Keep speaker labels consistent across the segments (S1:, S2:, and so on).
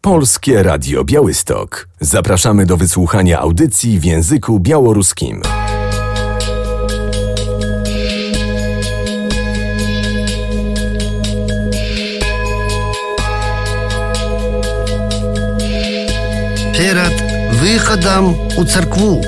S1: Polskie Radio Białystok. Zapraszamy do wysłuchania audycji w języku białoruskim.
S2: Перед выходом у церкву.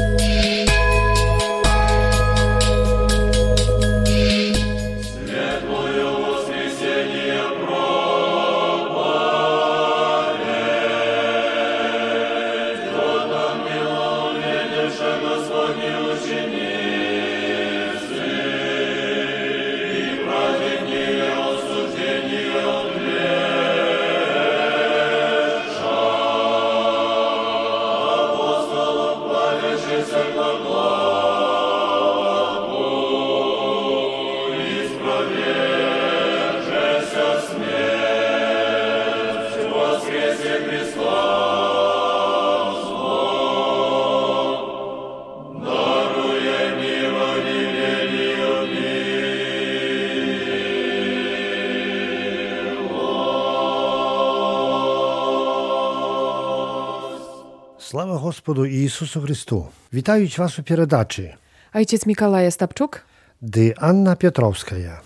S3: Слава Господу Ісусу Христу! Вітають вас у передачі.
S4: Ojciec Mikołaj Stapczuk.
S3: Dy Anna Piotrowskaja.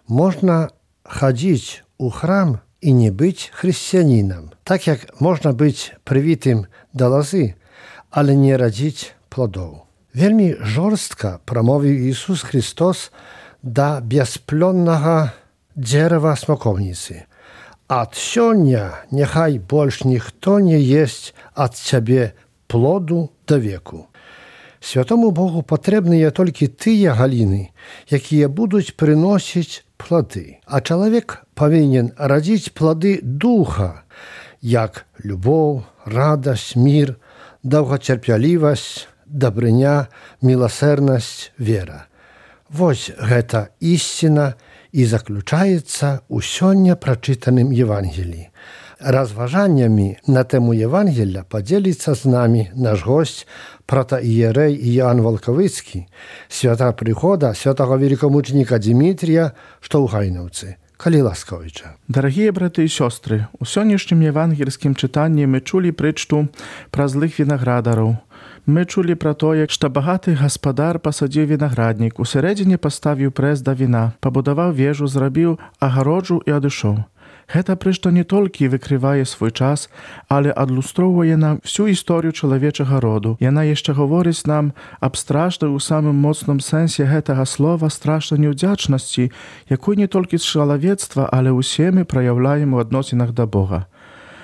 S3: Można chodzić u chram i nie być chrześcijaninem. Tak jak można być przywitym do lozy, ale nie radzić plodów. Wielmi żorstka pромовив Ісус Христос до безплодного дерева смоковниcy. От сёння нехай больш ніхто не єсть от цябе плоду до веку. Святому Богу патрэбныя толькі тыя галіны, якія будуць прыносіць плоды. А чалавек павінен радзіць плоды духа, як любоў, радасць, мір, доўгацярплівасць, дабрыня, міласэрнасць, вера. Вось гэта ісціна і заключаецца ў сёння прачытаным Евангеліі. Разважаннямі на тэму Евангелля падзеліцца з намі наш госць, протоієрей Іоанн Волковицький, свята прыхода святого великомученика Дмитрия, што ў Гайнаўцы. Калі ласкавіча.
S5: Дорогие браты и сестры, у сённяшнім евангельскім чытанні мы чулі прытчу пра злых вінаградараў. Мы чулі пра тое, што багаты гаспадар пасадзіў вінаграднік, усередзіне паставіў прэс да віна, пабудаваў вежу, зрабіў агароджу і адышоў. Гэта прытча не толькі выкрывае свой час, але адлюстроўвае нам всю історыю чалавечага роду. Яна яшчэ гаворыць нам аб страшнай у самым моцным сэнсе гэтага слова страшнай неўдзячнасці, якую не толькі з чалавецтва, але ўсе мы праяўляем у адносінах да Бога.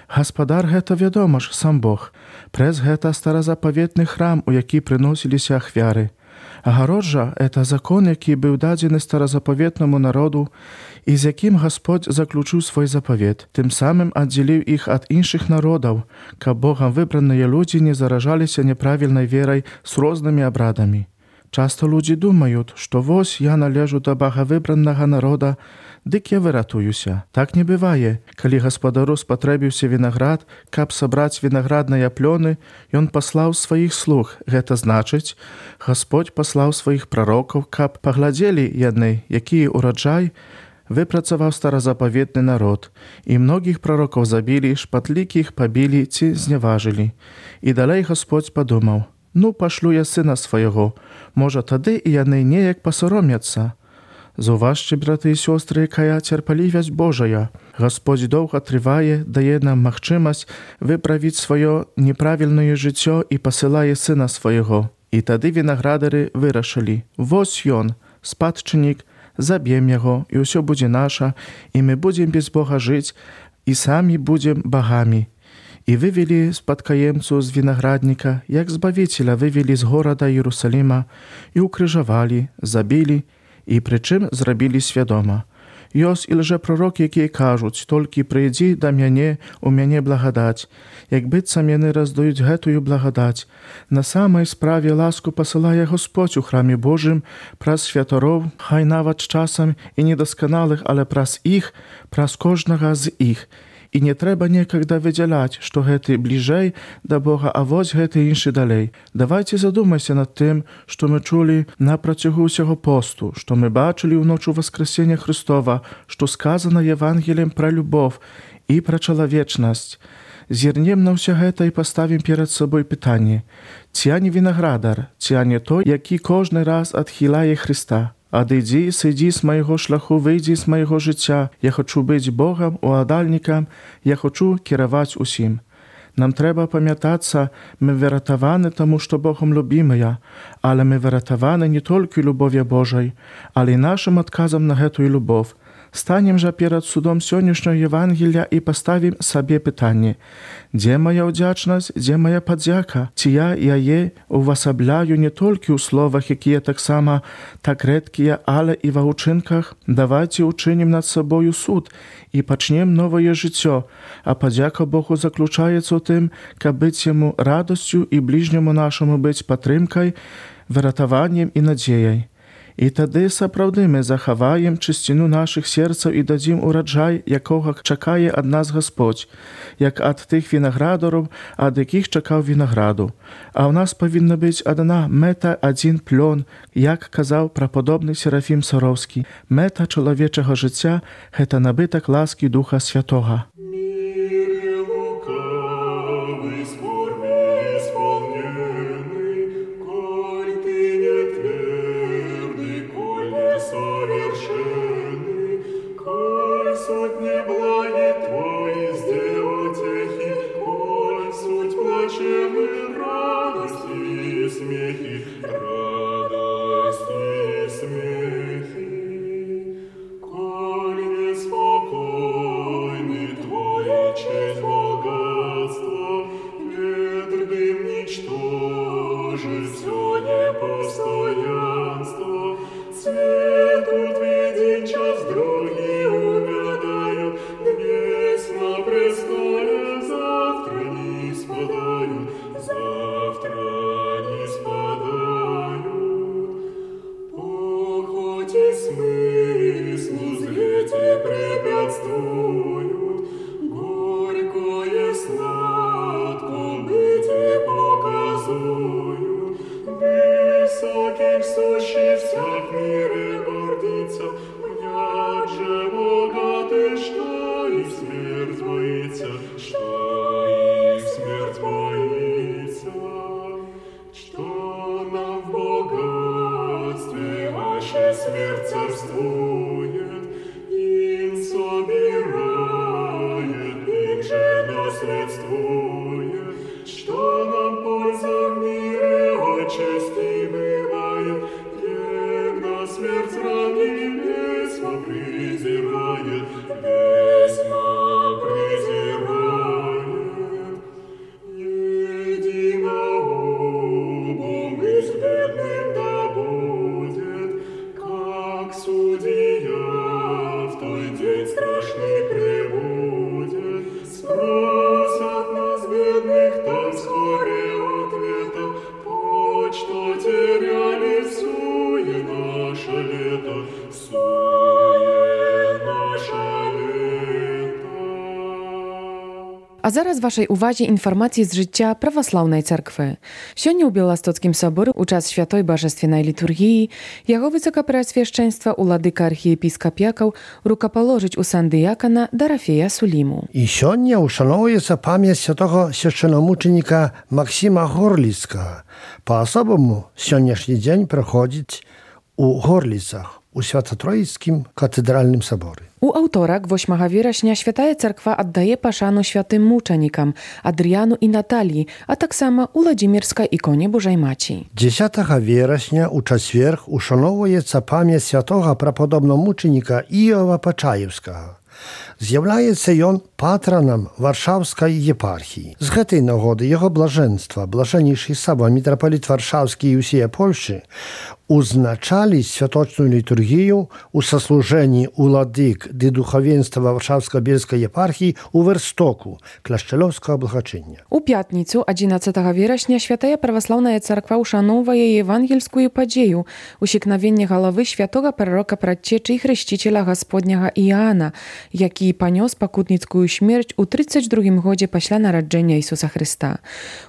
S5: Гаспадар гэта, вядома ж, сам Бог. Прэс гэта старазапаветны храм, у які прыносіліся ахвяры. Агароджа – это закон, які быў дадзены старазапаветнаму народу і з якім Гасподзь заключыў свой запавет. Тым самым аддзеліў іх ад іншых народаў, каб Богам выбраныя людзі не заражаліся няправільнай верай з рознымі абрадамі. Часта людзі думаюць, што вось я належу да багавыбранага народа, дык я выратуюся. Так не бывае. Калі гаспадару спатрэбіўся вінаград, каб сабраць вінаградныя плёны, ён паслаў сваіх слуг. Гэта значыць, Гасподзь паслаў сваіх прарокаў, каб паглядзелі яны, які ураджай выпрацаваў старазапаветны народ. І многіх прарокаў забілі, шпатлікіх пабілі ці зняважылі. І далей Гасподзь падумаў: ну, пашлю я сына свайго, можа тады і яны неяк пасаромяцца. Заўважце, браты і сёстры, якая цярпалівасць Божая. Гасподзь доўга трывае, дае нам магчымасць выправіць сваё неправільнае жыццё і пасылае сына свайго. І тады вінаградары вырашылі: вось ён, спадчыннік, заб'ем яго, і ўсё будзе наша, і мы будзем без Бога жыць, і самі будзем багамі. І вывелі спадкаемцу з вінаградніка, як збавіцеля вывелі з горада Іерусаліма, і укрыжавалі, забілі, і прычым зрабілі свядома. Ёсць і лжэпрарокі, якія кажуць: толькі прыйдзі да мяне, у мяне благадаць. Як быццам яны раздаюць гэтую благадаць. На самай справе ласку пасылае Господь у храме Божым праз святароў, хай нават з часам і недасканалых, але праз іх, праз кожнага з іх. І не трэба некагда выдзяляць, што гэты бліжэй да Бога, а вось гэты іншы далей. Давайце задумайся над тым, што мы чулі на працягу ўсяго посту, што мы бачылі ў ночу Васкрэсення Христова, што сказана Евангеліем пра любоў і пра чалавечнасць. Зірнем на ўсё гэта і паставім перад сабой пытанне: ці я не вінаградар, ці я не той, які кожны раз адхіляе Хрыста? Адыдзі, сыдзі з майго шляху, выйдзі з майго жыцця. Я хачу быць Богам, уладальнікам, я хачу кіраваць усім. Нам трэба памятацца, мы выратаваны таму, што Богом любімыя, але мы выратаваны не толькі любов'ю Божай, але і нашым адказам на гэтую любов. Станем жа перад судом сённяшняга Євангелія і паставім сабе пытанне: дзе моя ўдзячнасць, дзе моя падзяка? Ці я яе увасабляю не толькі ў словах, якія таксама так рэдкія, але і ва ўчынках? Давайце учынім над сабою суд і пачнем новае жыццё, а падзяка Богу заключаецца ў тым, каб быць яму радасцю і бліжняму нашаму быць падтрымкай, выратаваннем і надзеяй. І тады сапраўды мы захаваем чысціну нашых серцаў і дадзім ураджай, якога чакае ад нас Гасподзь, як ад тых вінаградараў, ад якіх чакаў вінаграду. А ў нас павінна быць адна мэта, адзін плён, як казаў прападобны Серафім Сароўскі. Мэта чалавечага жыцця – гэта набытак ласкі Духа Святога.
S4: А зараз вашай увазе інфармацыі з жыцця праваслаўнай царквы. Сёння ў Беластоцкім саборы ў час святой бажаственнай літургіі яго высокапрэасвяшчэнства уладыка архіепіскап Якаў рукапаложыць у сан дыякана Дарафея Суліму.
S3: І сёння ушаноўваецца памяць святого свяшчэнамучаніка Максіма Горліцкага. Па-асобаму сённяшні дзень праходзіць у Горліцах, у Свято-Троіцкім катэдральным саборы.
S4: У аўторак, 8 верасня, святая царква аддае пашану святым мучанікам Адрыяну і Наталіі, а таксама Уладзімірскай іконе Божай Маці.
S3: 10 верасня у чацверг ушаноўваецца памяць святога прападобнага мучаніка Іова Пачаеўскага. З'яўляецца ён патранам Варшаўскай епархіі. З гэтай нагоды яго блажэнства, блажэннейшы саба мітрапаліт Варшаўскі і ўсія Польшы узначалі святочную літургію у саслужэнні уладык ды духавенства Варшаўска-Бельскай епархіі у Верстоку, кляшчалёўскага благачыння.
S4: У пятніцу, 11 верасня, святая праваслаўная царква ушаноўвае евангельскую падзею усікнавення галавы святога прарока прадчэчы і хрысціцеля Гасподняга Іаана, які панёс пакутніцкую смерць у 32 годзе пасля нараджэння Ісуса Хрыста.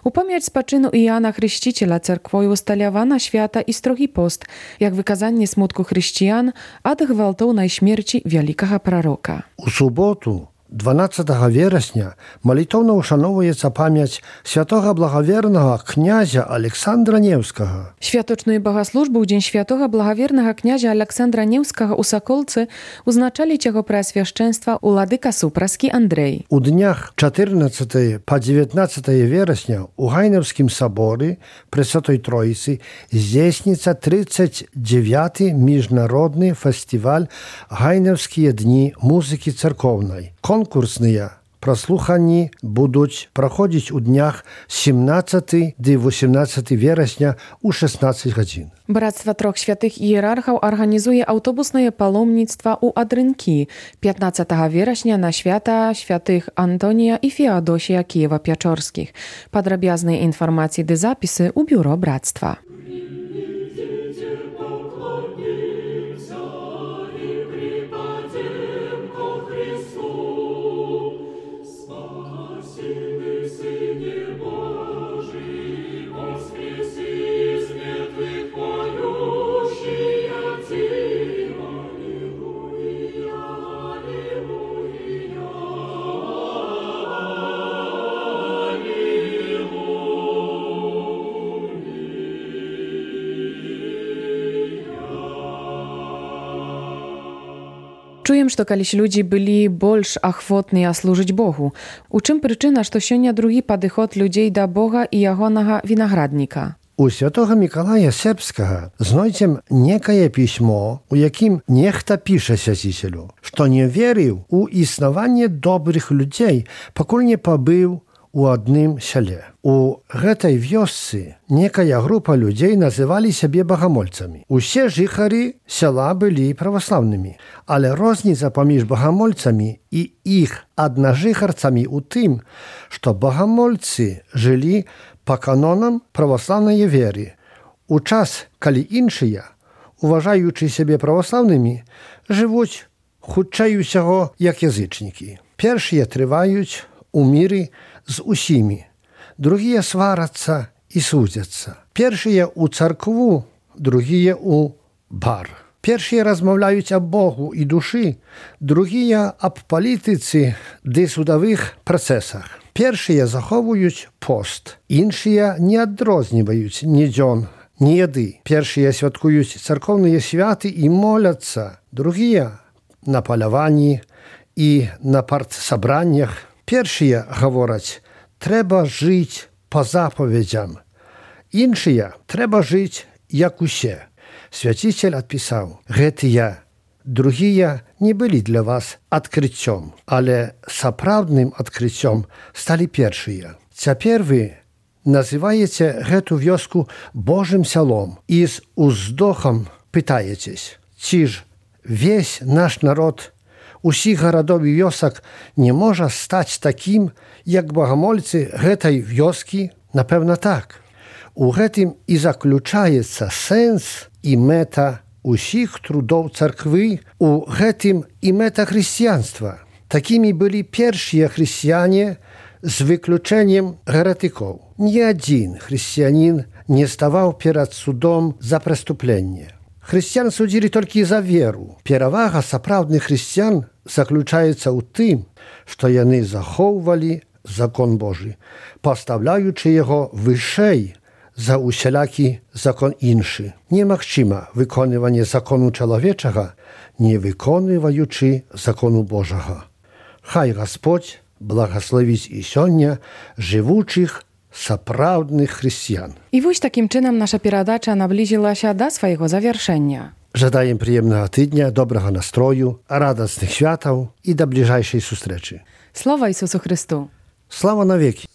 S4: У памяць спачыну Іаана Хрысціцеля царквою усталявана свята і строгі пост, як выказанне смутку хрысціян ад гвалтоўнай смерці вялікага прарока.
S3: У суботу, 12 вересня молитовно ушановується пам'ять святого благоверного князя Александра Невского.
S4: Światoczną bogosłużbę Dzień Świętego Благоверного kniazia Aleksandra Невского u Sokolcy uznaczali Ciego Preoswieszczeństwa u Ladyka Supraski Andrzej.
S3: У днях 14 по 19 вересня у Гайневскім соборі Пресвятой Троїці здійсниться 39-й міжнародний фестиваль «Гайневські дні музики церковної». Конкурсні прослухання будуть проходити у днях 17 до 18 вересня у 16 годин.
S4: Bractwo Troch Świętych Hierarchów organizuje autobusne palomnictwo u Adrynki 15 września na święta świętych Antonija i Feodosija Kijowo-Pieczorskich. Podrobiazne informacje i zapisy u biuro Bractwa. Czuję, że kiedyś ludzie byli больше охотni służyć Bogu. U czym przyczyna, że сегодня drugi podchod ludzi do Boga i Jego winogradnika?
S3: У святого Миколая Сербского знайдем некое письмо, у яким нехта пише святителю, что не верил у існування добрых людей, покуль не побыл у одним селе. У этой вёсцы некая группа людей называли себе богомольцами. Усе жихари села были православными, але розница поміж богомольцами и их одножихарцами у тым, что богомольцы жили по канонам православної віри. У час, коли іншыя, уважаючи себе православними, живуть хутчэй усяго, як язычнікі. Першыя трываюць у міры з усімі, другія сварацца і судзяцца. Першыя у царкву, другія у бар. Першыя размаўляюць аб Богу і душы, другія аб палітыцы ды судовых працэсах. Першыя захоўваюць пост, іншыя не адрозніваюць ні дзён, ні яды. Першыя святкуюць царкоўныя святы і моляцца, другія на паляванні і на партсабраннях. Першыя гавораць, трэба жыць па запаведзям. Іншыя, трэба жыць, як усе. Свяцитель адпісаў, гэтыя другія не былі для вас адкрыццём, але сапраўдным адкрыццём сталі першыя. Цяпер вы называеце гэту вёску Божым сялом і з уздохам пытаецесь, ці ж весь наш народ усіх гарадоў і вёсак не можа стаць такім, як багамольцы гэтай вёскі? Напэўна, так. У гэтым і заключаецца сэнс і мэта усіх трудоў царквы, у гэтым і мэта хрысціянства. Такімі былі першыя хрысціяне з выключэннем геретыкоў. Ні адзін хрысціянін не ставаў перад судом за преступленне. Хрысціян судзілі толькі за веру. Перавага сапраўдных хрысціян заключаецца ў тым, што яны захоўвалі закон Божы, пастаўляючы яго вышэй за усялякі закон іншы. Немагчыма выконванне закону чалавечага, не выконваючы закону Божага. Хай Гасподзь благословіць і сёння жывучых сапраўдных хрысціян.
S4: I wójś takim czynem nasza передача наблизилася до swojego завершenia.
S3: Жадаем прыемнага тыдня, добрага настрою, радасных святаў і да бліжэйшай сустрэчы.
S4: Слава Ісусу Христу!
S3: Слава навеки!